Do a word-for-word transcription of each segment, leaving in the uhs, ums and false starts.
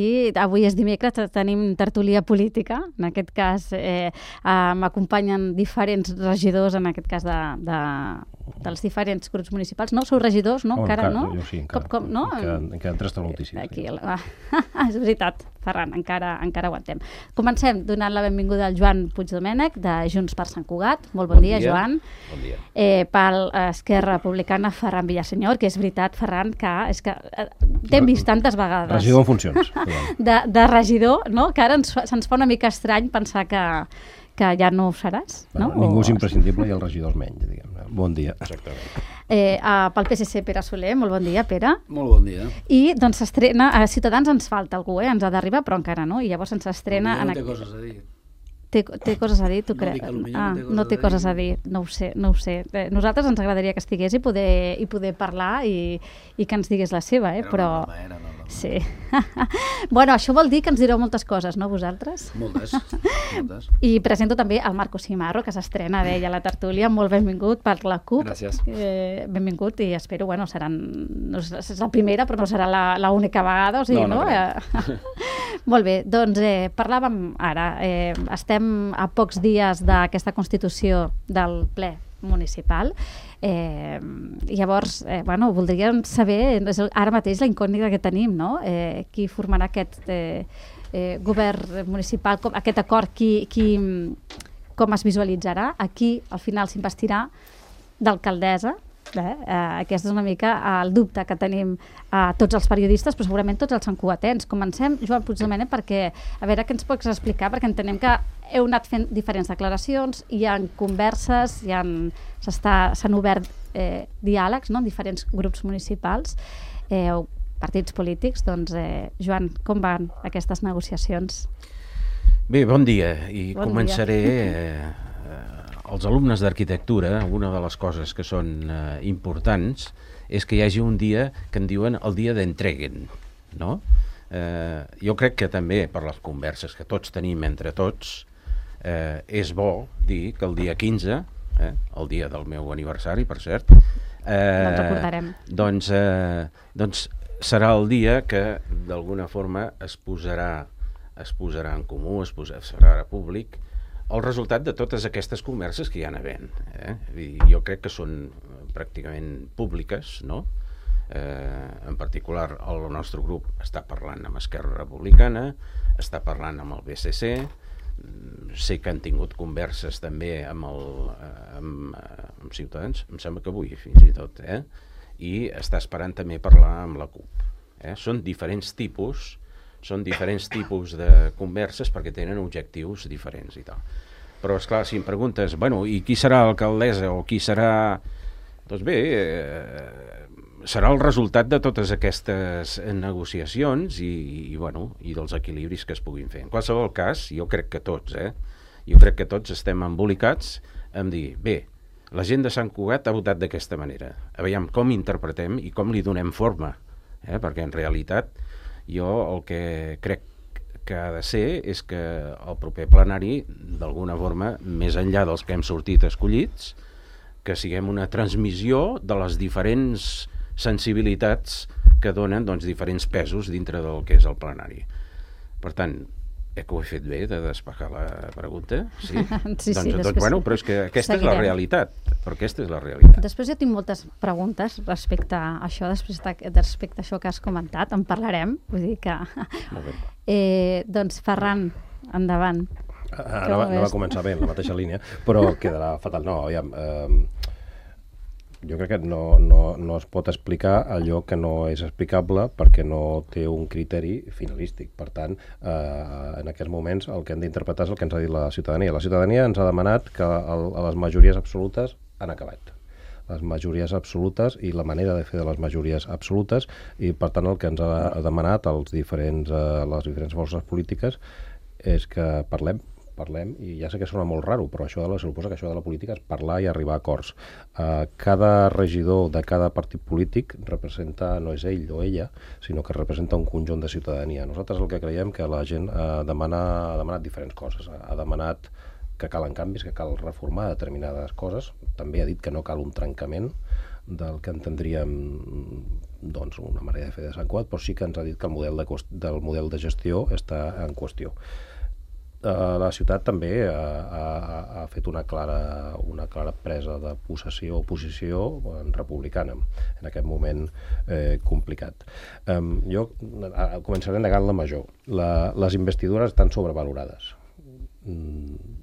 I avui és dimecres, tenim tertúlia política. En aquest cas eh, eh, m'acompanyen diferents regidors, en aquest cas de, de, dels diferents grups municipals. No? Sou regidors, no? Oh, encara, encara, no? Jo sí, encara. Com, com, no? Encara, encara tres talutíssims. Aquí, ah, és veritat, Ferran, encara, encara aguantem. Comencem donant la benvinguda al Joan Puigdomènech, de Junts per Sant Cugat. Molt bon, bon dia, dia, Joan. Bon dia. Eh, pel Esquerra Republicana, Ferran Villasenyor, que és veritat, Ferran, que, és que eh, t'hem vist tantes vegades. Regidor en funcions. De, de regidor, no? Que ara ens, se'ns fa una mica estrany pensar que, que ja no ho seràs. No? Bueno, ningú o... és imprescindible i els regidors menys, diguem-ne. Bon dia. Exactament. Eh, uh, pel P S C, Pere Soler, molt bon dia, Pere. Molt bon dia. I doncs s'estrena, a Ciutadans ens falta algú, eh? Ens ha d'arribar, però encara no, i llavors ens estrena... No en... té coses a dir. Té, té coses a dir, tu No creus? dic que potser Ah, no té coses no té a coses a dir. dir, no ho sé, no ho sé. Eh, nosaltres ens agradaria que estigués i poder, i poder parlar i, i que ens digués la seva, eh? Era Però... una broma, era una broma. Sí. Bueno, això vol dir que ens direu moltes coses, no, vosaltres? Moltes, moltes. I presento també el Marco Simarro, que s'estrena, deia, a la tertúlia. Molt benvingut per la CUP. Gràcies. Eh, benvingut i espero, bueno, seran... No és la primera, però no serà l'única vegada, o sigui, No, no no? Eh, molt bé, doncs eh, parlàvem ara. Eh, estem a pocs dies d'aquesta constitució del ple municipal. Eh, llavors, eh, bueno, voldríem saber, és ara mateix la incògnita que tenim, no? Eh, qui formarà aquest eh, eh, govern municipal, com, aquest acord, qui, qui, com es visualitzarà, a qui al final s'investirà d'alcaldessa. Eh? Eh, aquest és una mica el dubte que tenim a eh, tots els periodistes, però segurament tots els santcugatens. Comencem, Joan Puigdomènech, perquè a veure què ens pots explicar, perquè entenem que heu anat fent diferents declaracions, hi ha converses, hi ha, s'han obert eh, diàlegs, no?, en diferents grups municipals, eh, o partits polítics. Doncs, eh, Joan, com van aquestes negociacions? Bé, bon dia, i Bon començaré... Eh, els alumnes d'arquitectura, una de les coses que són eh, importants és que hi hagi un dia que en diuen el dia d'entreguen, no? Eh, jo crec que també per les converses que tots tenim entre tots eh, és bo dir que el dia quinze, eh, el dia del meu aniversari, per cert, eh, No ens recordarem. doncs, eh, doncs serà el dia que d'alguna forma es posarà, es posarà en comú, es posarà, serà públic el resultat de totes aquestes converses que hi ha havent. Eh? I jo crec que són pràcticament públiques, no? Eh, en particular, el nostre grup està parlant amb Esquerra Republicana, està parlant amb el B C C, sé que han tingut converses també amb, el, amb, amb Ciutadans, em sembla que avui fins i tot, eh? I està esperant també parlar amb la CUP. Eh? Són diferents tipus són diferents tipus de converses perquè tenen objectius diferents i tal. Però, esclar, si em preguntes, bueno, i qui serà l'alcaldessa o qui serà... Doncs bé, eh, serà el resultat de totes aquestes negociacions i, i, bueno, i dels equilibris que es puguin fer. En qualsevol cas, jo crec que tots, eh, jo crec que tots estem embolicats en dir, bé, la gent de Sant Cugat ha votat d'aquesta manera. Aviam com interpretem i com li donem forma, eh, perquè en realitat jo el que crec que ha de ser és que el proper plenari, d'alguna forma, més enllà dels que hem sortit escollits, que siguem una transmissió de les diferents sensibilitats que donen doncs, diferents pesos dintre del que és el plenari. Per tant, eh, que ho he fet bé de despejar la pregunta? Sí? Sí, sí, doncs, doncs, després bueno, però és que aquesta seguirem. és la realitat, però aquesta és la realitat. Després jo tinc moltes preguntes respecte a això, després de, respecte a això que has comentat, en parlarem, vull dir que... Molt bé. Eh, doncs, Ferran, endavant. Ah, no, va, no va començar bé en la mateixa línia, però quedarà fatal. No, aviam, eh, jo crec que no, no, no es pot explicar allò que no és explicable perquè no té un criteri finalístic. Per tant, eh, en aquests moments el que hem d'interpretar és el que ens ha dit la ciutadania. La ciutadania ens ha demanat que el, les majories absolutes han acabat. Les majories absolutes i la manera de fer de les majories absolutes, i per tant el que ens ha demanat als diferents, eh, les diferents forces polítiques és que parlem, parlem, i ja sé que sona molt raro, però això de la, suposa que això de la política és parlar i arribar a acords. Uh, cada regidor de cada partit polític representa, no és ell o ella, sinó que representa un conjunt de ciutadania. Nosaltres el que creiem que la gent uh, demana, ha demanat diferents coses. Ha demanat que calen canvis, que cal reformar determinades coses. També ha dit que no cal un trencament del que entendríem doncs, una manera de fer de Sant Cugat, però sí que ens ha dit que el model de, cost, del model de gestió està en qüestió. Uh, la ciutat també ha, ha, ha fet una clara, una clara presa de possessió o posició republicana en aquest moment eh, complicat. Um, jo uh, començaré negant la major. La, les investidures estan sobrevalorades. Mm,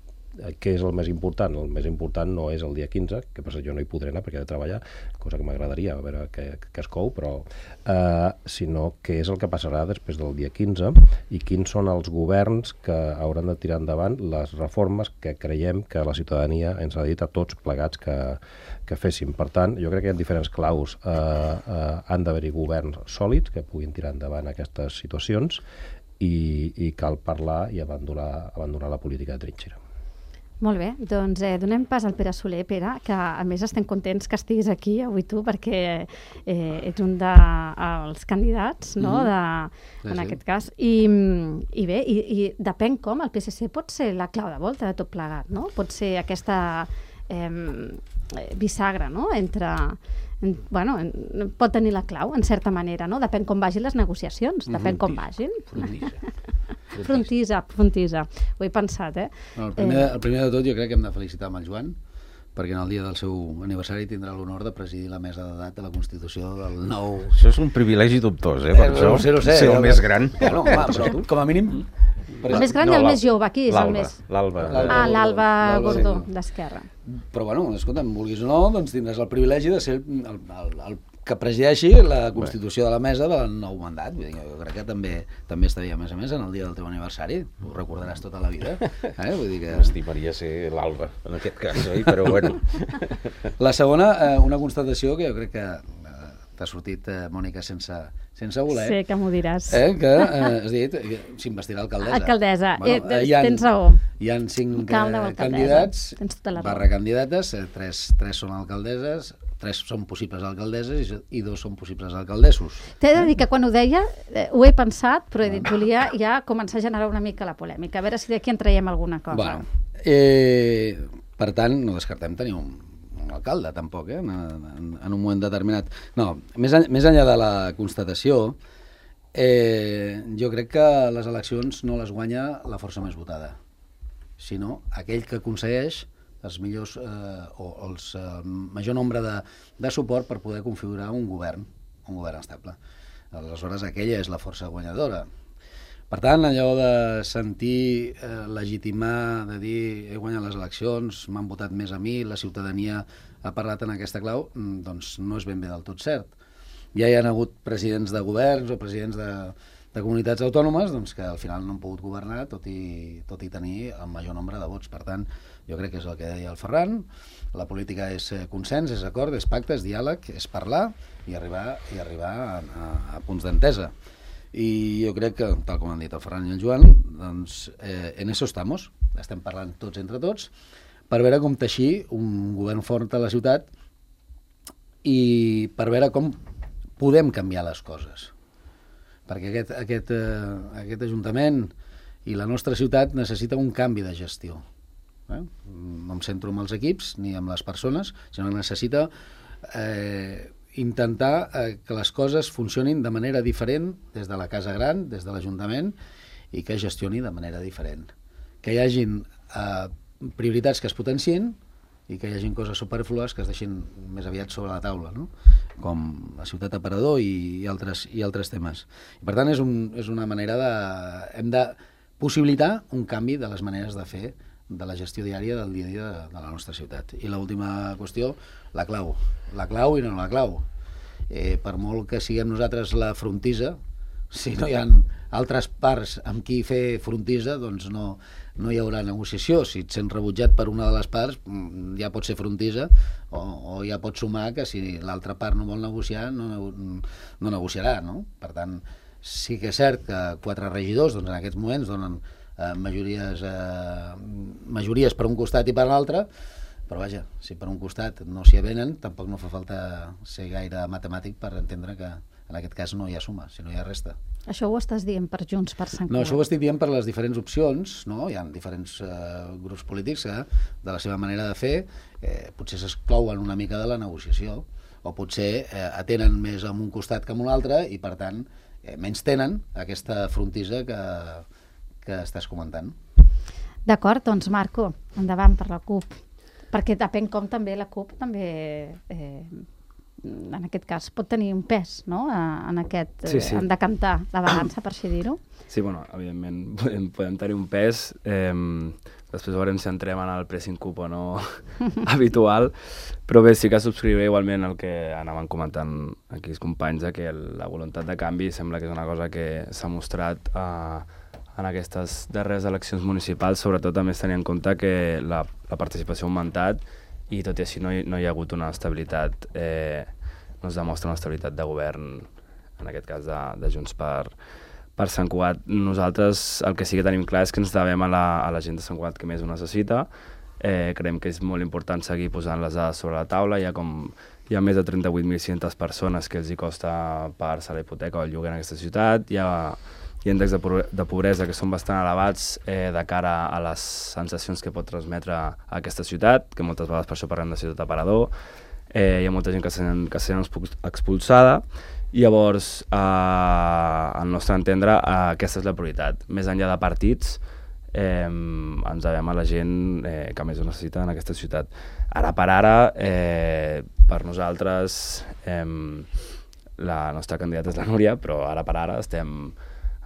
què és el més important? El més important no és el dia quinze, que per jo no hi podré anar perquè he de treballar, cosa que m'agradaria, a veure què, què es cou, però eh, sinó què és el que passarà després del dia quinze i quins són els governs que hauran de tirar endavant les reformes que creiem que la ciutadania ens ha dit a tots plegats que, que féssim. Per tant, jo crec que hi ha diferents claus. Eh, eh, han d'haver-hi governs sòlids que puguin tirar endavant aquestes situacions i, i cal parlar i abandonar, abandonar la política de trinxera. Molt bé, doncs eh, donem pas al Pere Soler. Pere, que a més estem contents que estiguis aquí avui tu, perquè eh, ets un dels de, candidats, no?, de, sí, en sí. aquest cas. I, i bé, i, i depèn com, el P S C pot ser la clau de volta de tot plegat, no? Pot ser aquesta eh, bisagra, no?, entre... En, bueno, en, pot tenir la clau, en certa manera, no? Depèn com vagin les negociacions, depèn Mm-hmm. com vagin. Frontissa. Frontisa, frontisa. Ho he pensat, eh? No, el, primer, el primer de tot jo crec que hem de felicitar amb el Joan, perquè en el dia del seu aniversari tindrà l'honor de presidir la mesa d'edat de la Constitució del nou... Això és un privilegi dubtós, eh? Per Eh, això, no sé, no sé, ser el eh, més gran. Bueno, home, però com a mínim... El més gran No, i el l'Al- més jove, qui és el l'Alba, més... L'Alba. L'Alba. Ah, l'Alba L'Alba, Gordó, sí. d'Esquerra. Però bueno, escolta'm, vulguis o no, doncs tindràs el privilegi de ser el, el, el, el que presideixi la constitució de la mesa del nou mandat. Vull dir, jo crec que també també estaria, a més a més, en el dia del teu aniversari. Ho recordaràs tota la vida. Eh? Vull dir que... M'estimaria ser l'Alba, en aquest cas, oi? Però bueno. La segona, eh, una constatació que jo crec que eh, t'ha sortit, eh, Mònica, sense, sense voler. Sé que m'ho diràs. Eh, que eh, has dit que s'investirà alcaldessa. Alcaldessa, eh, eh, hi ha, tens raó. Hi ha cinc Alcalde o eh, alcaldessa. candidats, Tens tota la raó. barra candidates, eh, tres, tres són alcaldesses, tres són possibles alcaldesses i, i dos són possibles alcaldessos. T'he de dir que quan ho deia, eh, ho he pensat, però he dit, volia ja començar a generar una mica la polèmica, a veure si d'aquí en traiem alguna cosa. Bueno, eh, per tant, no descartem tenir un, un alcalde, tampoc, eh, en, en, en un moment determinat. No, més, en, més enllà de la constatació, eh, jo crec que les eleccions no les guanya la força més votada, sinó aquell que aconsegueix els millors eh, o els eh, major nombre de, de suport per poder configurar un govern, un govern estable. Aleshores, aquella és la força guanyadora. Per tant, allò de sentir, eh, legitimar, de dir he guanyat les eleccions, m'han votat més a mi, la ciutadania ha parlat en aquesta clau, doncs no és ben bé del tot cert. Ja hi ha hagut presidents de governs o presidents de, de comunitats autònomes doncs, que al final no han pogut governar tot i, tot i tenir el major nombre de vots. Per tant, jo crec que és el que deia el Ferran, la política és consens, és acord, és pacte, és diàleg, és parlar i arribar, i arribar a, a, a punts d'entesa. I jo crec que, tal com han dit el Ferran i el Joan, doncs eh, en eso estamos, estem parlant tots entre tots, per veure com teixir un govern fort a la ciutat i per veure com podem canviar les coses. Perquè aquest, aquest, eh, aquest Ajuntament i la nostra ciutat necessita un canvi de gestió. Eh? No em centro amb els equips ni amb les persones, sinó que necessita eh, intentar eh, que les coses funcionin de manera diferent des de la Casa Gran, des de l'Ajuntament, i que es gestioni de manera diferent. Que hi hagin eh, prioritats que es potenciïn i que hi hagin coses superflues que es deixin més aviat sobre la taula, no? Com la ciutat aparador i, i, altres, i altres temes. I per tant, és, un, és una manera de... Hem de possibilitar un canvi de les maneres de fer de la gestió diària del dia a dia de, de la nostra ciutat. I l'última qüestió, la clau. La clau i no la clau. Eh, per molt que siguem nosaltres la frontisa, si no hi ha altres parts amb qui fer frontisa, doncs no, no hi haurà negociació. Si et sents rebutjat per una de les parts, ja pot ser frontisa, o, o ja pot sumar que si l'altra part no vol negociar, no, no negociarà, no? Per tant, sí que és cert que quatre regidors doncs, en aquests moments donen eh, majories, eh, majories per un costat i per l'altre, però vaja, si per un costat no s'hi avenen, tampoc no fa falta ser gaire matemàtic per entendre que en aquest cas no hi ha suma, sinó hi ha resta. Això ho estàs dient per Junts per Sant Cugat? No, això ho estic dient per les diferents opcions, no? Hi ha diferents eh, grups polítics que, de la seva manera de fer, eh, potser s'exclouen una mica de la negociació, o potser eh, atenen més en un costat que en un altre i, per tant, eh, menys tenen aquesta frontissa que, que estàs comentant. D'acord, doncs Marco, endavant per la CUP. Perquè depèn com també la CUP també... Eh, en aquest cas, pot tenir un pes, no?, en aquest, sí, sí. en decantar la balança, per així dir-ho. Sí, bueno, evidentment podem, podem tenir un pes. Eh, després veurem si entrem en el pressing CUP o no habitual, però bé, sí que subscriuré igualment el que anaven comentant aquí els companys, de que la voluntat de canvi sembla que és una cosa que s'ha mostrat eh, en aquestes darreres eleccions municipals, sobretot també tenint en compte que la, la participació ha augmentat i tot i així no hi, no hi ha hagut una estabilitat, eh, no es demostra una estabilitat de govern, en aquest cas de, de Junts per, per Sant Cugat. Nosaltres el que sí que tenim clar és que ens devem a la, a la gent de Sant Cugat que més ho necessita. Eh, creiem que és molt important seguir posant les dades sobre la taula. Hi ha, com, hi ha més de trenta-vuit mil sis-centes persones que els hi costa pagar-se la hipoteca o el lloguer en aquesta ciutat. Hi ha Hi ha índexs de, de pobresa que són bastant elevats eh, de cara a les sensacions que pot transmetre a aquesta ciutat, que moltes vegades per això parlem de ciutat aparador. Eh, hi ha molta gent que s'han expulsada i llavors, eh, al nostre entendre, eh, aquesta és la prioritat. Més enllà de partits, eh, ens devem a la gent eh, que més ho necessita en aquesta ciutat. Ara per ara, eh, per nosaltres, eh, la nostra candidata és la Núria, però ara per ara estem...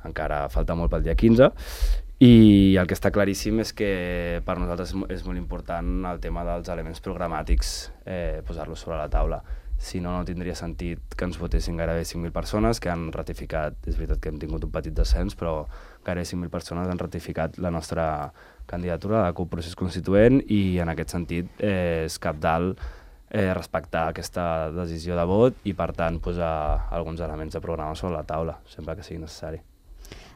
encara falta molt pel dia quinze, i el que està claríssim és que per nosaltres és molt important el tema dels elements programàtics, eh, posar-los sobre la taula. Si no, no tindria sentit que ens votessin gairebé cinc mil persones, que han ratificat, és veritat que hem tingut un petit descens, però gairebé cinc mil persones han ratificat la nostra candidatura a la CUP Procés Constituent, i en aquest sentit eh, és cabdal eh, respectar aquesta decisió de vot i, per tant, posar alguns elements de programa sobre la taula, sempre que sigui necessari.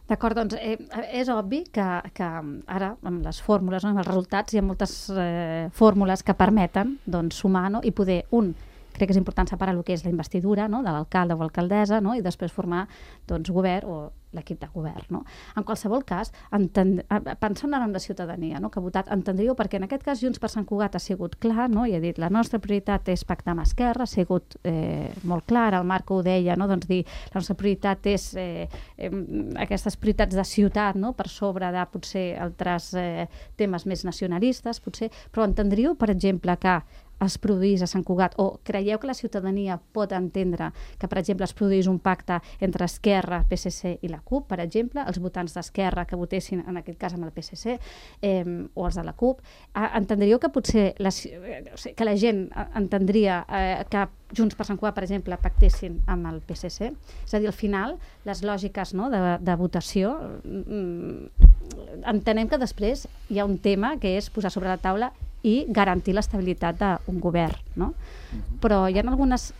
D'acord, doncs eh, és obvi que, que ara, amb les fórmules, no, amb els resultats, hi ha moltes eh, fórmules que permeten doncs, sumar, no, i poder, un, crec que és important separar el que és la investidura, no, de l'alcalde o alcaldessa, no, i després formar doncs, govern o l'equip de govern. No? En qualsevol cas, enten... pensant en la ciutadania, no, que ha votat, entendríeu, perquè en aquest cas Junts per Sant Cugat ha sigut clar, no, i ha dit la nostra prioritat és pactar amb Esquerra, ha sigut eh, molt clar, el Marco ho deia, no, doncs dir la nostra prioritat és eh, eh, aquestes prioritats de ciutat, no, per sobre de potser altres eh, temes més nacionalistes, potser, però entendríeu, per exemple, que es produís a Sant Cugat, o creieu que la ciutadania pot entendre que, per exemple, es produís un pacte entre Esquerra, P S C i la CUP, per exemple, els votants d'Esquerra que votessin, en aquest cas, amb el P S C, eh, o els de la CUP, eh, entendríeu que potser la, que la gent entendria eh, que Junts per Sant Cugat, per exemple, pactessin amb el P S C? És a dir, al final, les lògiques, no, de, de votació, mm, entenem que després hi ha un tema que és posar sobre la taula i garantir l'estabilitat d'un govern, no? Però hi ha algunes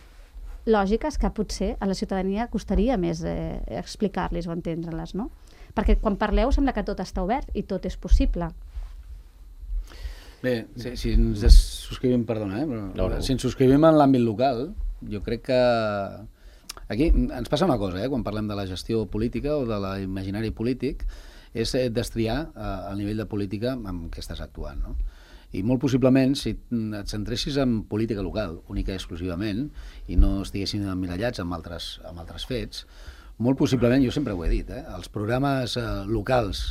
lògiques que potser a la ciutadania costaria més eh, explicar-les o entendre-les, no? Perquè quan parleu sembla que tot està obert i tot és possible. Bé, si, si ens subscrivim, perdona, eh? Però, no, no. si ens subscrivim en l'àmbit local, jo crec que aquí ens passa una cosa, eh? Quan parlem de la gestió política o de l'imaginari polític, és destriar eh, el nivell de política amb què estàs actuant, no? I molt possiblement, si et centressis en política local, única i exclusivament, i no estiguessin emmirallats amb altres, amb altres fets, molt possiblement, jo sempre ho he dit, eh, els programes eh, locals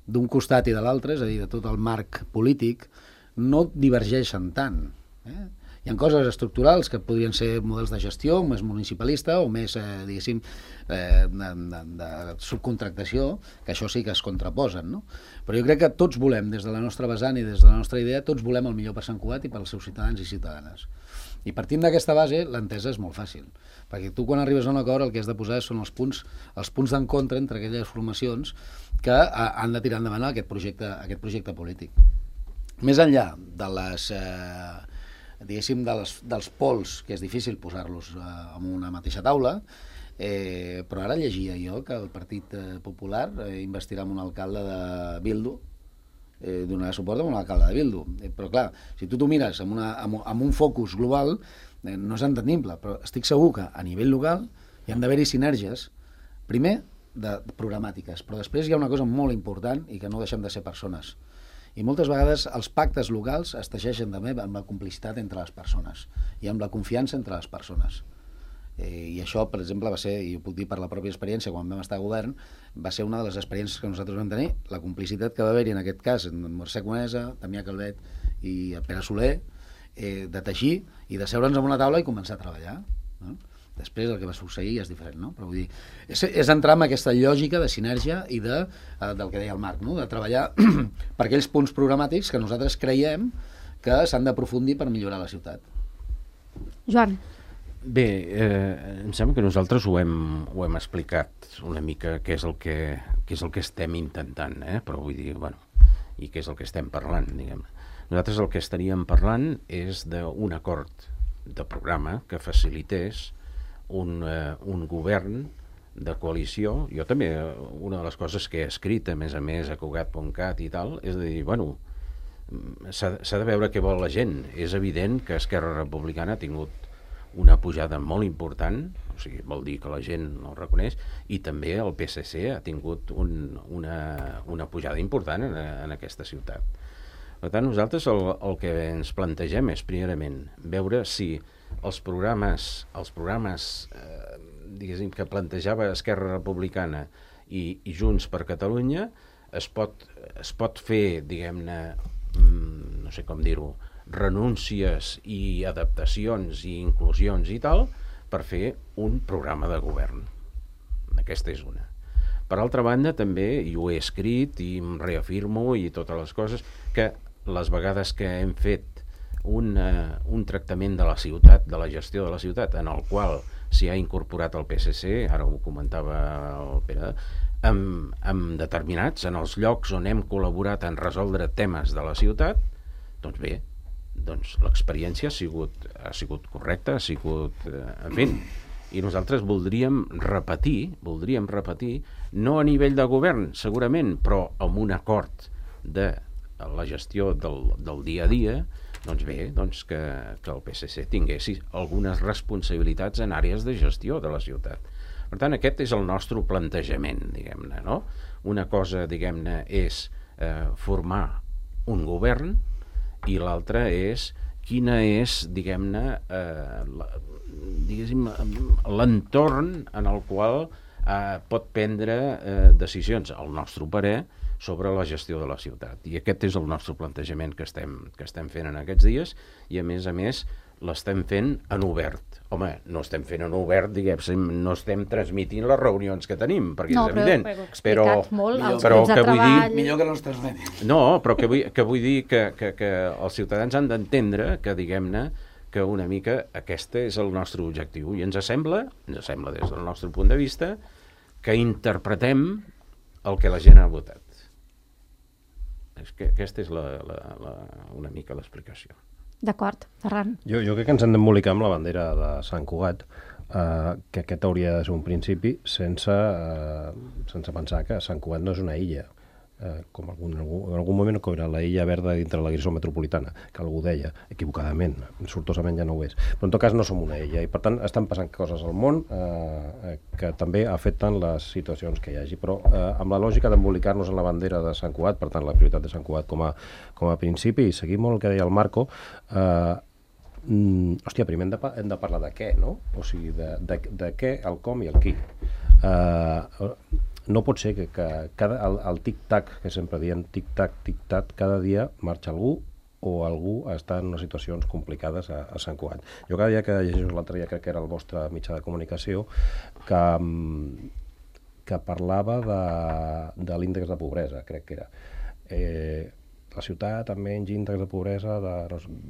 d'un costat i de l'altre, és a dir, de tot el marc polític, no divergeixen tant. Eh? Hi ha coses estructurals que podrien ser models de gestió, més municipalista o més, eh, diguéssim, eh, de, de, de subcontractació, que això sí que es contraposen, no? Però jo crec que tots volem, des de la nostra vessant i des de la nostra idea, tots volem el millor per Sant Cugat i pels seus ciutadans i ciutadanes. I partint d'aquesta base, l'entesa és molt fàcil, perquè tu quan arribes a un acord el que has de posar són els punts, els punts d'encontre entre aquelles formacions que a, han de tirar endavant aquest projecte, aquest projecte polític. Més enllà de les... Eh, diguéssim, dels, dels pols, que és difícil posar-los eh, en una mateixa taula, eh, però ara llegia jo que el Partit eh, Popular eh, investirà en un alcalde de Bildu, eh, donarà suport a un alcalde de Bildu. Eh, però clar, si tu t'ho mires amb, una, amb, amb un focus global, eh, no és entendible, però estic segur que a nivell local hi han d'haver-hi sinergies, primer, de programàtiques, però després hi ha una cosa molt important i que no deixem de ser persones. I moltes vegades els pactes locals es teixeixen també amb la complicitat entre les persones i amb la confiança entre les persones. Eh, I això, per exemple, va ser, i ho puc dir per la pròpia experiència, quan vam estar a govern, va ser una de les experiències que nosaltres vam tenir, la complicitat que va haver-hi en aquest cas en Mercè Conesa, Damià Calvet i Pere Soler, eh, de teixir i de seure'ns en una taula i començar a treballar, no? Després el que va succeir és diferent, no? Però vull dir, és, és entrar en aquesta lògica de sinergia i de, eh, del que deia el Marc, no? De treballar per aquells punts programàtics que nosaltres creiem que s'han d'aprofundir per millorar la ciutat. Joan. Bé, eh, em sembla que nosaltres ho hem, ho hem explicat una mica què és el que, què és el que estem intentant, eh? Però vull dir, bueno, i què és el que estem parlant, diguem. Nosaltres el que estaríem parlant és d'un acord de programa que facilités un, eh, un govern de coalició. Jo també, una de les coses que he escrit, a més a més, a Cugat punt cat i tal, és de dir, bueno, s'ha de veure què vol la gent. És evident que Esquerra Republicana ha tingut una pujada molt important, o sigui, vol dir que la gent no ho reconeix, i també el P S C ha tingut un, una, una pujada important en, en aquesta ciutat. Per tant, nosaltres el, el que ens plantegem és, primerament, veure si els programes, els programes eh, diguéssim, que plantejava Esquerra Republicana i, i Junts per Catalunya es pot, es pot fer, diguem-ne, no sé com dir-ho, renúncies i adaptacions i inclusions i tal, per fer un programa de govern. Aquesta és una. Per altra banda, també, i ho he escrit i em reafirmo i totes les coses, que les vegades que hem fet un, uh, un tractament de la ciutat, de la gestió de la ciutat, en el qual s'hi ha incorporat el P S C, ara ho comentava el Pere, amb, amb determinats, en els llocs on hem col·laborat en resoldre temes de la ciutat, doncs bé, doncs l'experiència ha sigut, ha sigut correcta, ha sigut, eh, en fi, i nosaltres voldríem repetir, voldríem repetir, no a nivell de govern, segurament, però amb un acord de la gestió del, del dia a dia, doncs bé, doncs que, que el P S C tinguessi algunes responsabilitats en àrees de gestió de la ciutat. Per tant, aquest és el nostre plantejament, diguem-ne, no? Una cosa, diguem-ne, és eh, formar un govern, i l'altra és quina és, diguem-ne, eh, diguéssim, l'entorn en el qual eh, pot prendre eh, decisions, al nostre parer, sobre la gestió de la ciutat. I aquest és el nostre plantejament que estem, que estem fent en aquests dies, i a més a més l'estem fent en obert. Home, no estem fent en obert, diguem, no estem transmitint les reunions que tenim, perquè no, és evident. No, però heu explicat molt els però grups de treball. Dir, millor que no els transmetin. No, però que vull, que vull dir que, que, que els ciutadans han d'entendre que, diguem-ne, que una mica aquest és el nostre objectiu. I ens sembla, ens sembla des del nostre punt de vista, que interpretem el que la gent ha votat. És que aquesta és la, la, la, una mica l'explicació. D'acord, Ferran. Jo, jo crec que ens hem d'embolicar amb la bandera de Sant Cugat, eh, que aquest hauria de ser un principi sense, eh, sense pensar que Sant Cugat no és una illa, eh, com algun, en algun moment que era la illa verda dintre la Grisó metropolitana, que algú deia, equivocadament, sortosament ja no ho és. Però en tot cas no som una illa, i per tant estan passant coses al món eh, que també afecten les situacions que hi hagi, però eh, amb la lògica d'embolicar-nos en la bandera de Sant Cugat, per tant la prioritat de Sant Cugat com a, com a principi, i seguir molt el que deia el Marco, eh, mm, hòstia, primer hem de, hem de parlar de què, no? O sigui, de, de, de què, el com i el qui. Eh, no pot ser que, que cada, el, el tic-tac, que sempre diem tic-tac, tic-tac, cada dia marxa algú o algú està en unes situacions complicades a, a Sant Cugat. Jo cada dia que llegeixo l'altre dia, crec que era el vostre mitjà de comunicació, que, que parlava de, de l'índex de pobresa, crec que era. Eh, la ciutat amb menys índex de pobresa de,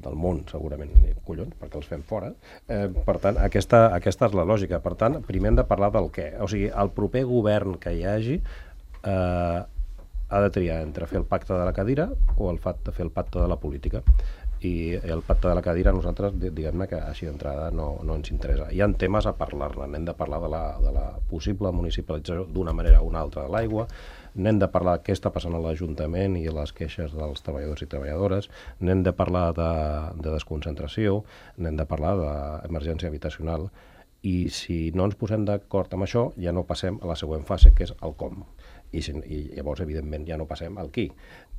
del món, segurament. Collons, perquè els fem fora. Eh, per tant, aquesta, aquesta és la lògica. Per tant, primer hem de parlar del què. O sigui, el proper govern que hi hagi eh, ha de triar entre fer el pacte de la cadira o el fet de fer el pacte de la política. I el pacte de la cadira a nosaltres, diguem-ne que així d'entrada no, no ens interessa. Hi ha temes a parlar-ne. N'hem de parlar de la, de la possible municipalització d'una manera o una altra de l'aigua, n'hem de parlar què està passant a l'Ajuntament i les queixes dels treballadors i treballadores, n'hem de parlar de, de desconcentració, n'hem de parlar d'emergència habitacional, i si no ens posem d'acord amb això, ja no passem a la següent fase, que és el com. I, i llavors, evidentment, ja no passem al qui.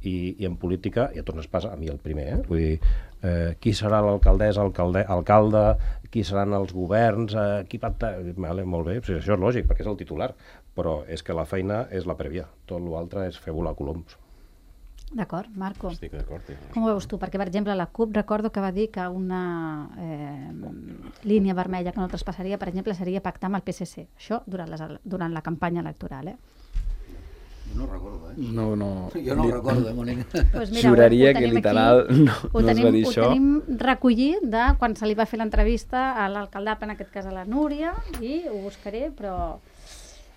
I, i en política, i a tots ens passa, a mi el primer, eh? Vull dir, eh, qui serà l'alcaldessa, alcalde, alcalde, qui seran els governs, eh, qui pacta... Vale, molt bé, això és lògic, perquè és el titular, però és que la feina és la prèvia, tot l'altre és fer volar coloms. D'acord, Marco. Estic d'acord. Sí. Com ho veus tu? Perquè, per exemple, la CUP recordo que va dir que una eh, línia vermella que no traspassaria, per exemple, seria pactar amb el P S C. Això durant, les, durant la campanya electoral, eh? Jo no recordo, eh? No, no... Jo no ho recordo, eh, Mònica? Pues mira, Juraria ho que tenim literal aquí, no, ho no tenim, es va dir ho això. Ho tenim recollit de quan se li va fer l'entrevista a l'alcaldapa, en aquest cas a la Núria, i ho buscaré, però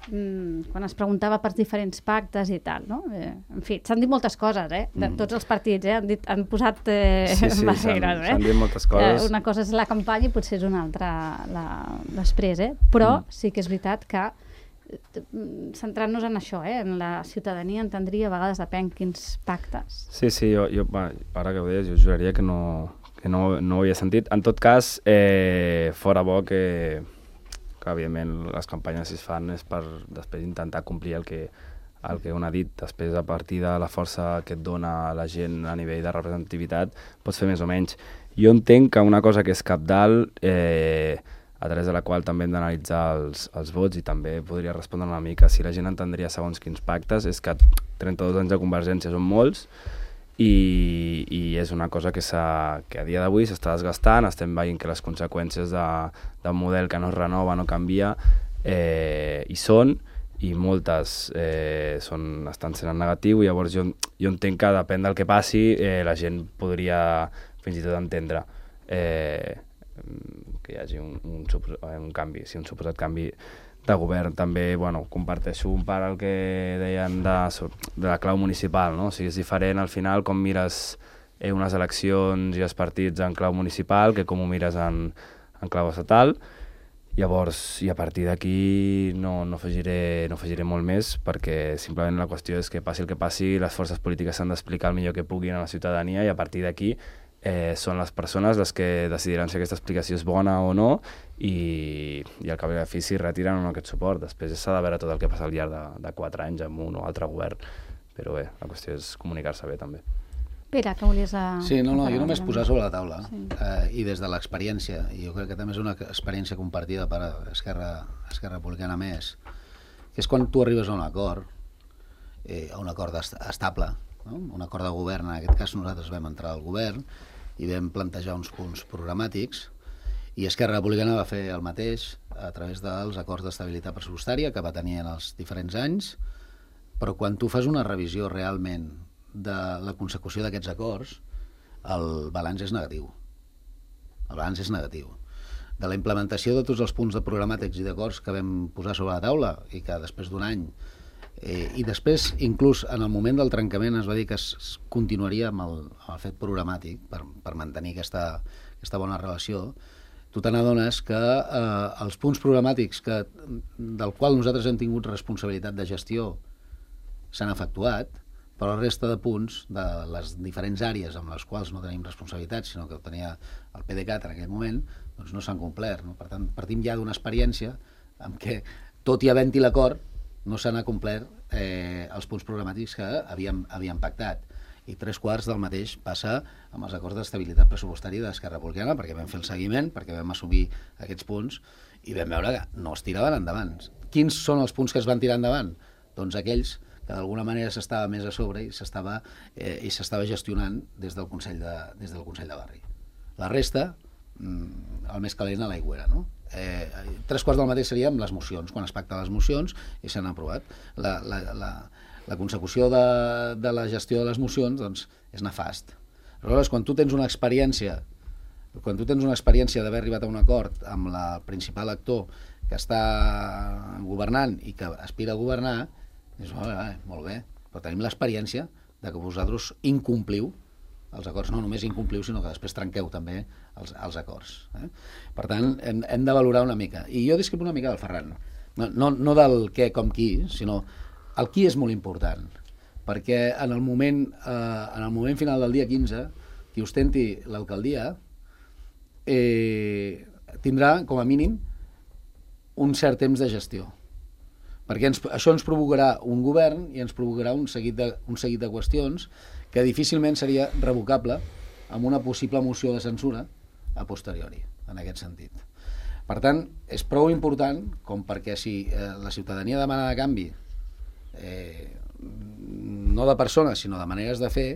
mm, quan es preguntava per diferents pactes i tal, no? Eh, en fi, s'han dit moltes coses, eh? De Mm. tots els partits, eh? Han, dit, han posat eh, Sí, sí, barreres, s'han- eh? s'han dit moltes coses. Eh, una cosa és la campanya i potser és una altra la, després, eh? Però Mm. sí que és veritat que centrant-nos en això, eh? En la ciutadania entendria a vegades depèn quins pactes. Sí, sí, jo, jo va, ara que ho deies, jo juraria que no, que no, no ho havia sentit. En tot cas, eh, fora bo que, que, evidentment, les campanyes si es fan és per després intentar complir el que, el que un ha dit. Després, a partir de la força que et dona la gent a nivell de representativitat, pots fer més o menys. Jo entenc que una cosa que és cabdal, eh, a través de la qual també hem d'analitzar els, els vots, i també podria respondre una mica si la gent entendria segons quins pactes, és que trenta-dos anys de Convergència són molts, i, i és una cosa que, que a dia d'avui s'està desgastant. Estem veient que les conseqüències d'un model que no es renova, no canvia, eh, hi són, i moltes eh, són, estan sent en negatiu, i llavors jo, jo entenc que depèn del que passi, eh, la gent podria fins i tot entendre eh, que hi hagi un, un, un canvi, sí, un suposat canvi de govern. També, bueno, comparteixo un part el que deien de, de la clau municipal, no? O sigui, és diferent al final com mires eh, unes eleccions i els partits en clau municipal que com ho mires en, en clau estatal. Llavors, i a partir d'aquí no, no, afegiré, no afegiré molt més, perquè simplement la qüestió és que passi el que passi, les forces polítiques s'han d'explicar el millor que puguin a la ciutadania, i a partir d'aquí eh, són les persones les que decidiran si aquesta explicació és bona o no, i, i al cap i a la fi si retiren o no aquest suport. Després s'ha de veure tot el que passa al llarg de, de quatre anys amb un o altre govern, però bé, la qüestió és comunicar-se bé també. Pere, que volies... A... Sí, no, no, jo només posar sobre la taula, sí. eh, i des de l'experiència, i jo crec que també és una experiència compartida per Esquerra, Esquerra Republicana Més, que és quan tu arribes a un acord, eh, a un acord est estable, no? Un acord de govern. En aquest cas nosaltres vam entrar al govern i vam plantejar uns punts programàtics, i Esquerra Republicana va fer el mateix a través dels acords d'estabilitat pressupostària que va tenir en els diferents anys, però quan tu fas una revisió realment de la consecució d'aquests acords, el balanç és negatiu. El balanç és negatiu. De la implementació de tots els punts de programàtics i d'acords que vam posar sobre la taula, i que després d'un any, eh, i després, inclús en el moment del trencament, es va dir que es, es continuaria amb el, amb el fet programàtic per, per mantenir aquesta, aquesta bona relació, tu te n'adones que eh, els punts programàtics que, del qual nosaltres hem tingut responsabilitat de gestió s'han efectuat, però la resta de punts de les diferents àrees amb les quals no tenim responsabilitat, sinó que tenia el P D C A T en aquell moment, doncs no s'han complert. No? Per tant, partim ja d'una experiència en què, tot i havent-hi l'acord, no s'han complert eh, els punts programàtics que havíem, havíem pactat. I tres quarts del mateix passa amb els acords d'estabilitat pressupostària d'Esquerra Republicana, perquè vam fer el seguiment, perquè vam assumir aquests punts, i vam veure que no es tiraven endavant. Quins són els punts que es van tirar endavant? Doncs aquells que d'alguna manera s'estava més a sobre i s'estava eh, i s'estava gestionant des del Consell de, des del Consell de Barri. La resta, mmm, el més calent a l'aigüera, no? Eh, tres quarts del mateix seria amb les mocions, quan es pacten les mocions i s'han aprovat. La, la, la, la consecució de, de la gestió de les mocions, doncs, és nefast. Aleshores, quan tu tens una experiència quan tu tens una experiència d'haver arribat a un acord amb la principal actor que està governant i que aspira a governar, dius, vale, vale, molt bé, però tenim l'experiència de que vosaltres incompliu els acords, no només incompliu, sinó que després trenqueu també els, els acords. Eh? Per tant, hem, hem de valorar una mica. I jo discrepo una mica del Ferran. No, no, no del què com qui, sinó el qui és molt important. Perquè en el moment, eh, en el moment final del dia quinze, qui ostenti l'alcaldia eh, tindrà, com a mínim, un cert temps de gestió. perquè ens, això ens provocarà un govern i ens provocarà un seguit de, un seguit de qüestions que difícilment seria revocable amb una possible moció de censura a posteriori, en aquest sentit. Per tant, és prou important com perquè si eh, la ciutadania demana de canvi, eh, no de persones, sinó de maneres de fer,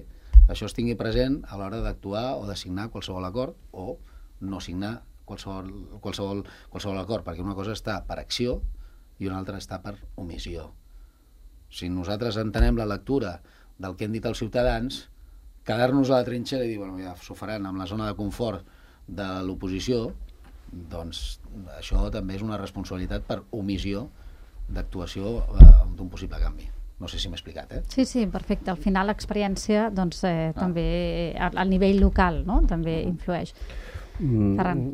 això es tingui present a l'hora d'actuar o de signar qualsevol acord o no signar qualsevol, qualsevol, qualsevol acord, perquè una cosa està per acció i una altra està per omissió. Si nosaltres entenem la lectura del que han dit els ciutadans, quedar-nos a la trinxera i dir, bueno, ja s'ho faran amb la zona de confort de l'oposició, doncs això també és una responsabilitat per omissió d'actuació eh, d'un possible canvi. No sé si m'he explicat, eh? Sí, sí, perfecte. Al final l'experiència doncs, eh, ah. també al, al nivell local, no? També influeix. Mm. Ferran.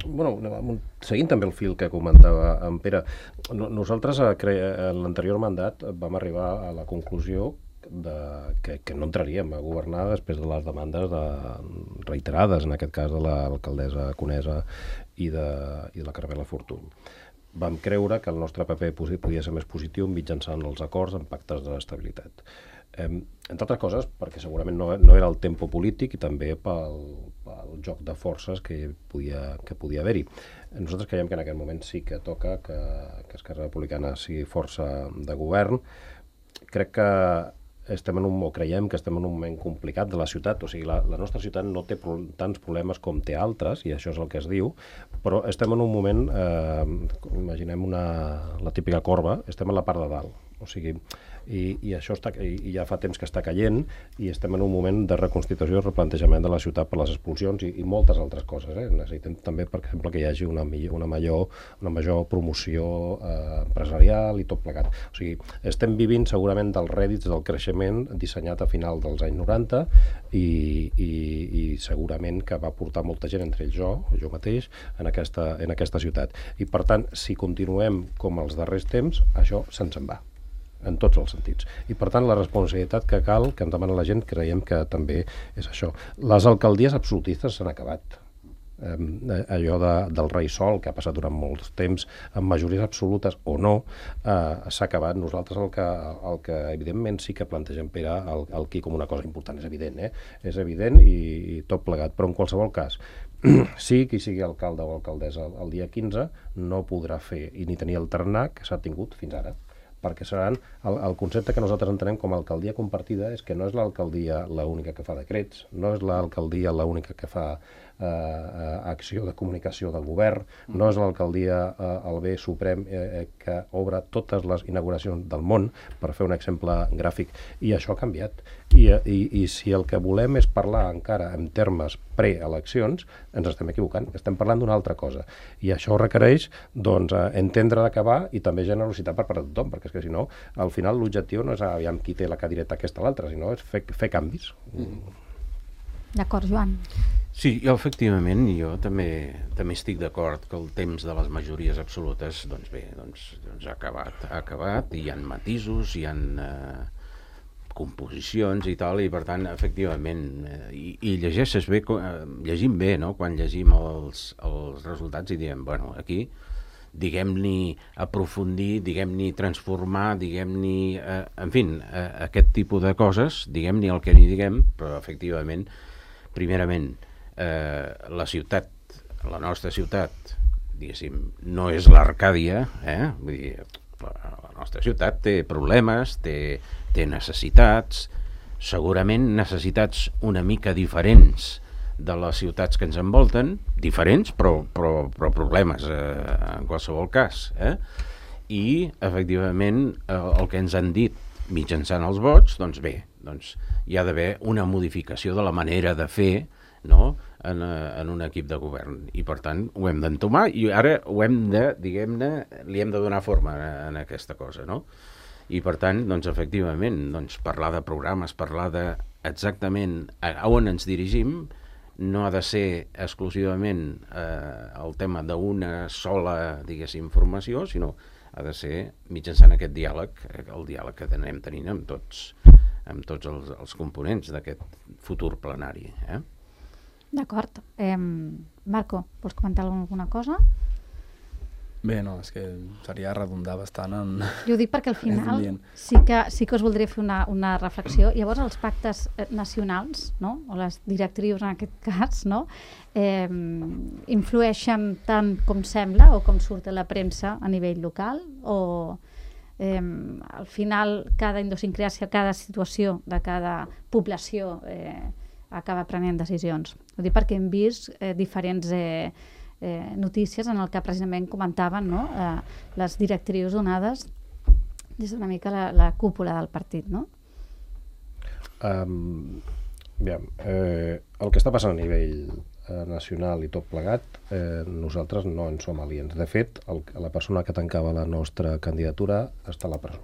Bueno, seguint també el fil que comentava en Pere, nosaltres en l'anterior mandat vam arribar a la conclusió de, que, que no entraríem a governar després de les demandes de, reiterades, en aquest cas de l'alcaldessa Conesa i de, i de la Carmela Fortuny. Vam creure que el nostre paper podia ser més positiu mitjançant els acords en pactes d'estabilitat. Eh, entre altres coses, perquè segurament no, no era el tempo polític i també pel, pel joc de forces que podia, que podia haver-hi. Nosaltres creiem que en aquest moment sí que toca que, que Esquerra Republicana sigui força de govern. Crec que estem en un, o creiem que estem en un moment complicat de la ciutat, o sigui, la, la nostra ciutat no té pro, tants problemes com té altres, i això és el que es diu, però estem en un moment, eh, imaginem una, la típica corba, estem a la part de dalt, o sigui, i, i això està, i, i ja fa temps que està caient, i estem en un moment de reconstitució i replantejament de la ciutat per les expulsions i, i moltes altres coses. Eh? Necessitem també, per exemple, que hi hagi una, una, major, una major promoció eh, empresarial i tot plegat. O sigui, estem vivint segurament dels rèdits del creixement dissenyat a final dels anys noranta i, i, i segurament que va portar molta gent, entre ells jo, jo mateix, en aquesta, en aquesta ciutat. I per tant, si continuem com els darrers temps, això se'ns en va, en tots els sentits. I per tant la responsabilitat que cal, que ens demana la gent, creiem que també és això. Les alcaldies absolutistes s'han acabat. Eh, allò de, del rei sol, que ha passat durant molts temps, amb majories absolutes o no, eh, s'ha acabat. Nosaltres el que, el que evidentment sí que plantegem, Pere, el, el qui com una cosa important, és evident, eh? És evident i, i tot plegat, però en qualsevol cas, sí, qui sigui alcalde o alcaldessa el, el dia quinze no podrà fer i ni tenir el tarannà que s'ha tingut fins ara, perquè seran, el, el concepte que nosaltres entenem com a alcaldia compartida és que no és l'alcaldia l'única que fa decrets, no és l'alcaldia l'única que fa eh, eh, acció de comunicació del govern, no és l'alcaldia eh, el bé suprem eh, que obre totes les inauguracions del món, per fer un exemple gràfic, i això ha canviat. I, i, i si el que volem és parlar encara en termes preeleccions, ens estem equivocant, estem parlant d'una altra cosa. I això requereix doncs, entendre d'acabar i també generositat per part de tothom, perquè és que si no, al final l'objectiu no és aviam qui té la cadireta aquesta o l'altra, sinó és fer, fer canvis. Mm. D'acord, Joan. Sí, jo efectivament, jo també també estic d'acord que el temps de les majories absolutes, doncs bé, doncs, doncs ha acabat, ha acabat, i hi ha matisos, hi ha eh, composicions i tal, i per tant, efectivament, eh, i, i llegeixes bé, eh, llegim bé, no?, quan llegim els, els resultats i diem, bueno, aquí diguem-ni aprofundir, diguem-ni transformar, diguem-ni, eh, en fi, eh, aquest tipus de coses, diguem-ni el que ni diguem, però efectivament, primerament, eh, la ciutat, la nostra ciutat, diguéssim, no és l'Arcàdia, eh? Vull dir, la nostra ciutat té problemes, té, té necessitats, segurament necessitats una mica diferents de les ciutats que ens envolten, diferents, però, però, però problemes eh, en qualsevol cas. Eh? I, efectivament, el, el que ens han dit mitjançant els vots, doncs bé, doncs hi ha d'haver una modificació de la manera de fer, no?, en, en un equip de govern. I, per tant, ho hem d'entomar i ara ho hem de, diguem-ne, li hem de donar forma en, en aquesta cosa, no? I, per tant, doncs, efectivament, doncs, parlar de programes, parlar de exactament a on ens dirigim, no ha de ser exclusivament eh, el tema d'una sola, diguéssim, formació, sinó ha de ser mitjançant aquest diàleg, el diàleg que anem tenint amb tots, amb tots els, els components d'aquest futur plenari. Eh? D'acord. Eh, Marco, vols comentar alguna cosa? Bé, no, és que seria redundar bastant en... Jo ho dic perquè al final dient. sí que, sí que us voldria fer una, una reflexió. Llavors, els pactes eh, nacionals, no? O les directrius en aquest cas, no? eh, influeixen tant com sembla o com surt a la premsa a nivell local o eh, al final cada idiosincràsia, cada situació de cada població eh, acaba prenent decisions. Ho dic perquè hem vist eh, diferents... Eh, Eh, notícies en el que precisament comentaven, no? eh, les directrius donades des d'una mica la, la cúpula del partit, no? Um, aviam, eh, el que està passant a nivell eh, nacional i tot plegat, eh, nosaltres no en som aliens. De fet, el, la persona que tancava la nostra candidatura està a la presó.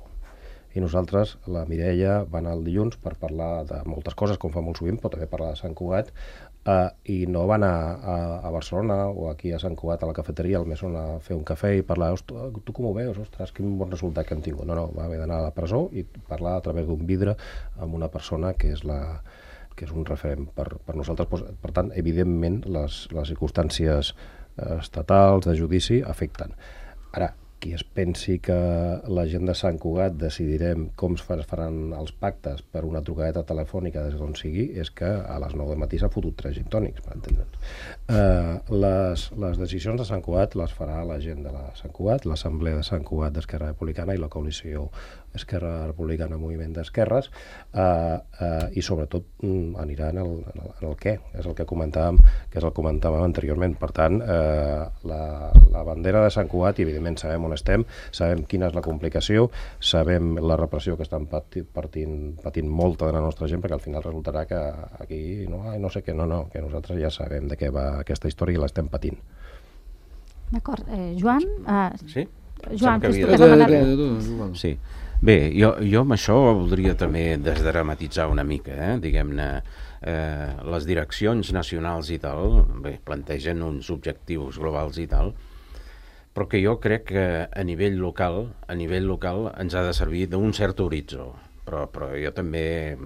I nosaltres, la Mireia, va anar el dilluns per parlar de moltes coses, com fa molt sovint, però també parlar de Sant Cugat, Uh, i no va anar a, a Barcelona o aquí a Sant Cugat a la cafeteria al Mesón a fer un cafè i parlar, tu com ho veus? Ostres, quin bon resultat que hem tingut. No, no, va haver d'anar a la presó i parlar a través d'un vidre amb una persona que és, la, que és un referent per, per nosaltres. Per tant, evidentment, les, les circumstàncies estatals de judici afecten. Ara, qui es pensi que la gent de Sant Cugat decidirem com es faran els pactes per una trucadeta telefònica des d'on sigui, és que a les nou del matí s'ha fotut tres gin tònics, per entendre'ns. Uh, les, les decisions de Sant Cugat les farà la gent de la Sant Cugat, l'Assemblea de Sant Cugat d'Esquerra Republicana i la coalició Esquerra Republicana Moviment d'Esquerres, uh, uh, i sobretot um, anirà en el, en, el, en el què, és el que comentàvem, que és el que comentàvem anteriorment. Per tant, uh, la, la bandera de Sant Cugat, i evidentment sabem on estem, sabem quina és la complicació, sabem la repressió que estan patint, patint, patint molta de la nostra gent, perquè al final resultarà que aquí no, ai, no sé què, no, no, que nosaltres ja sabem de què va aquesta història i l'estem patint. D'acord. Eh, Joan? Uh, sí? Joan, que que és tu que demanar... Sí. Bé, jo, jo amb això voldria també desdramatitzar una mica, eh? Diguem-ne, eh, les direccions nacionals i tal, bé, plantegen uns objectius globals i tal, però que jo crec que a nivell local, a nivell local ens ha de servir d'un cert horitzó. Però, però jo també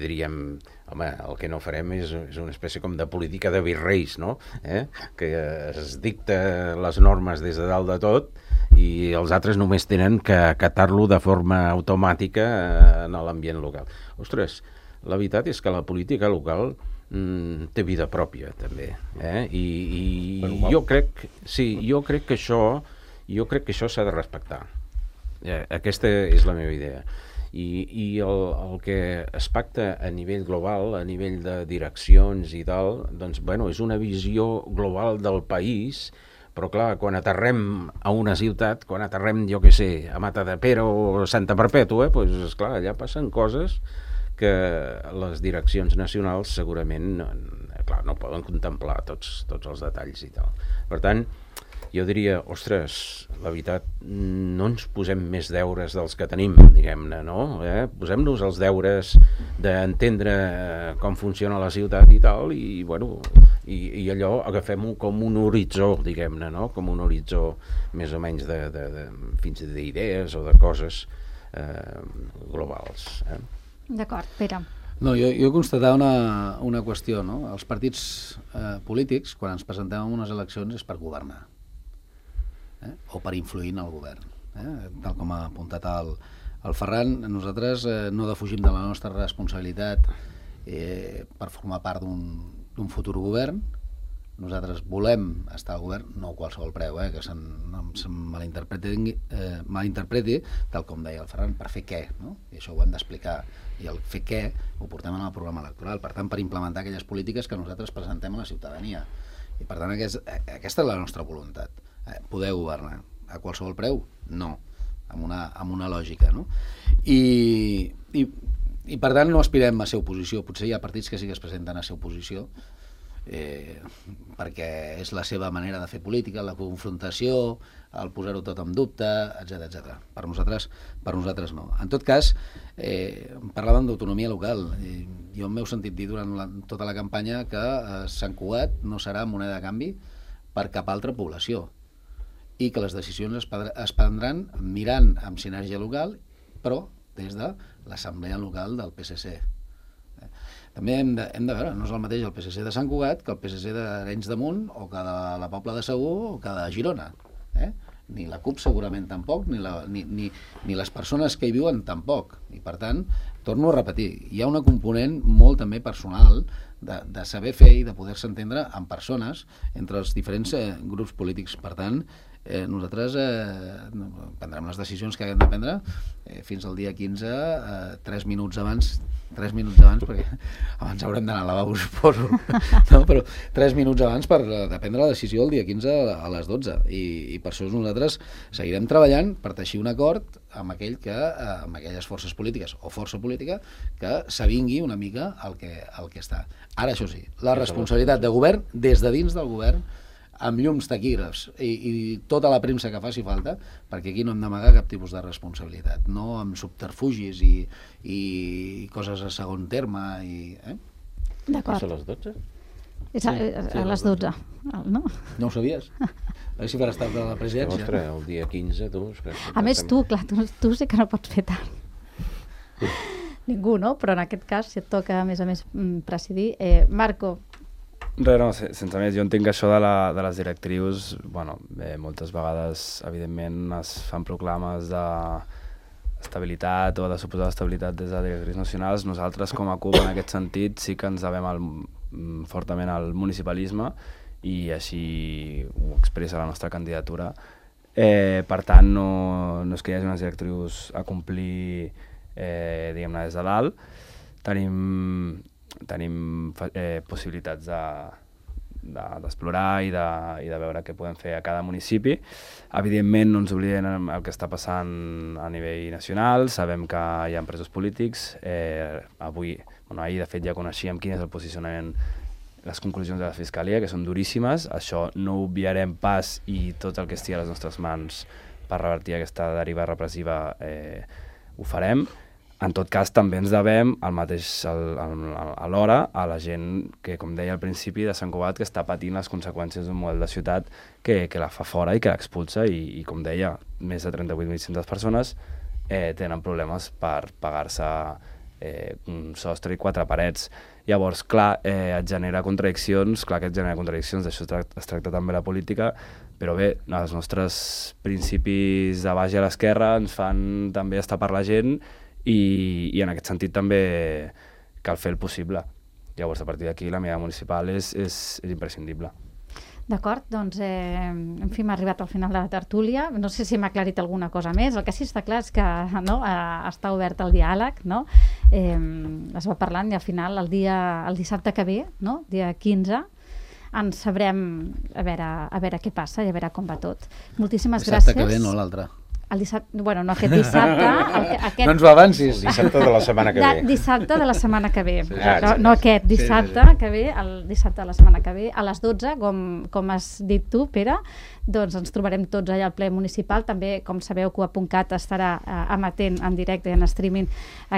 diríem, home, el que no farem és, és una espècie com de política de virreis, no? Eh? Que es dicta les normes des de dalt de tot i els altres només tenen que acatar-lo de forma automàtica en l'ambient local. Ostres, la veritat és que la política local mm, té vida pròpia, també. Eh? I, i jo crec, sí, jo crec que això, jo crec que això s'ha de respectar. Eh, aquesta és la meva idea. I, i el, el que es pacta a nivell global, a nivell de direccions i tal, doncs, bueno, és una visió global del país, però clar, quan aterrem a una ciutat, quan aterrem, jo què sé, a Matadepera o Santa Perpètua, doncs, esclar, allà passen coses que les direccions nacionals segurament, clar, no poden contemplar tots, tots els detalls i tal. Per tant, jo diria, ostres, la veritat, no ens posem més deures dels que tenim, diguem-ne, no? Eh? Posem-nos els deures d'entendre com funciona la ciutat i tal, i, bueno, i, i allò agafem-ho com un horitzó, diguem-ne, no? Com un horitzó més o menys de, de, de, fins d'idees o de coses eh, globals. Eh? D'acord, Pere. No, jo, jo constatar una, una qüestió, no? Els partits eh, polítics, quan ens presentem en unes eleccions, és per governar. Eh? O per influir en el govern. Eh? Tal com ha apuntat el, el Ferran, nosaltres eh, no defugim de la nostra responsabilitat eh, per formar part d'un futur govern. Nosaltres volem estar al govern, no a qualsevol preu, eh? Que se'n no se malinterpreti, eh, malinterpreti, tal com deia el Ferran, per fer què, no? I això ho hem d'explicar. I el fer què ho portem en el programa electoral, per tant, per implementar aquelles polítiques que nosaltres presentem a la ciutadania. I per tant, aquest, aquesta és la nostra voluntat. Eh, poder governar a qualsevol preu? No, amb una, amb una lògica, no? I, i, i per tant no aspirem a ser oposició. Potser hi ha partits que sí que es presenten a ser oposició, eh, perquè és la seva manera de fer política, la confrontació, el posar-ho tot en dubte, etcètera etcètera. Per nosaltres, per nosaltres no. En tot cas, eh, parlàvem d'autonomia local. Eh, jo m'heu sentit dir durant la, tota la campanya que eh, Sant Cugat no serà moneda de canvi per cap altra població, i que les decisions es, es prendran mirant amb sinergia local, però des de l'assemblea local del P S C. Eh? També hem de, hem de veure, no és el mateix el P S C de Sant Cugat que el P S C d'Arenys de Munt, o que de la Pobla de Segur, o que de Girona. Eh? ni la CUP segurament tampoc, ni, la, ni, ni, ni les persones que hi viuen tampoc. I per tant, torno a repetir, hi ha una component molt també personal de, de saber fer i de poder-se entendre amb persones entre els diferents eh, grups polítics. Per tant, eh, nosaltres eh, prendrem les decisions que haguem de prendre eh, fins al dia quinze, eh, tres minuts abans, tres minuts abans, perquè abans haurem d'anar al lavabo, suposo, no? Però tres minuts abans per de prendre la decisió el dia quinze a les dotze. I, i per això nosaltres seguirem treballant per teixir un acord amb aquell que, eh, amb aquelles forces polítiques o força política que s'avingui una mica el que, el que està. Ara, això sí, la responsabilitat de govern, des de dins del govern, amb llums, taquígrafs i, i tota la premsa que faci falta, perquè aquí no hem d'amagar cap tipus de responsabilitat, no amb subterfugis i, i coses a segon terme. I, eh? D'acord. És a les dotze? És a, a, a les dotze, no? No ho sabies? A veure si per estar de la presidència. Ostres, el dia quinze, tu... A més, tu, clar, tu, tu sí que no pots fer tant. Ningú, no? Però en aquest cas, si et toca, a més a més, presidir. Eh, Marco. Res, no, sense més, jo entenc que això de, la, de les directrius, bueno, eh, moltes vegades, evidentment, es fan proclames d'estabilitat o de suposada estabilitat des de directrius nacionals. Nosaltres, com a CUP, en aquest sentit, sí que ens devem al, fortament al municipalisme i així ho expressa la nostra candidatura. Eh, per tant, no, no és que hi hagi unes directrius a complir, eh, diguem-ne, des de dalt. Tenim... tenim eh, possibilitats d'explorar de, de, i, de, i de veure què podem fer a cada municipi. Evidentment no ens oblidem el que està passant a nivell nacional, sabem que hi ha presos polítics, eh, avui, bueno, ahir de fet ja coneixíem quin és el posicionament, les conclusions de la Fiscalia, que són duríssimes, això no ho obviarem pas i tot el que estigui a les nostres mans per revertir aquesta deriva repressiva eh, ho farem. En tot cas, també ens devem al mateix, al, al, alhora a la gent que, com deia al principi, de Sant Cugat, que està patint les conseqüències d'un model de ciutat que, que la fa fora i que l'expulsa i, i, com deia, més de trenta-vuit mil cinc-centes persones eh, tenen problemes per pagar-se eh, un sostre i quatre parets. Llavors, clar, eh, et genera contradiccions, clar que et genera contradiccions, d'això es tracta, es tracta també la política, però bé, els nostres principis de baix a l'esquerra ens fan també estar per la gent I, i en aquest sentit també cal fer el possible. Llavors, a partir d'aquí, la mirada municipal és, és, és imprescindible. D'acord, doncs, eh, en fi, hem arribat al final de la tertúlia. No sé si m'ha aclarit alguna cosa més. El que sí està clar és que no, eh, està obert el diàleg, no? Eh, es va parlant i al final, el, dia, el dissabte que ve, no? dia quinze, ens sabrem a veure, a veure què passa i a veure com va tot. Moltíssimes gràcies. Dissabte que ve, no l'altre. El dissabte, bueno, no aquest dissabte... El, aquest, no ens ho avancis. El dissabte de la setmana que ve. De, dissabte de la setmana que ve. Sí, no, no aquest, dissabte sí, sí. que ve, el dissabte de la setmana que ve, a les dotze, com, com has dit tu, Pere, doncs ens trobarem tots allà al ple municipal. També, com sabeu, CUAP.cat estarà eh, amatent en directe i en streaming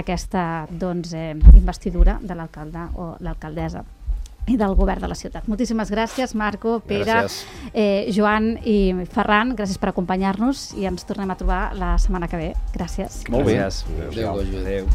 aquesta doncs, eh, investidura de l'alcalde o l'alcaldessa i del govern de la ciutat. Moltíssimes gràcies, Marco, Pere, eh, Joan i Ferran. Gràcies per acompanyar-nos i ens tornem a trobar la setmana que ve. Gràcies. Molt bé. Adéu. Adéu.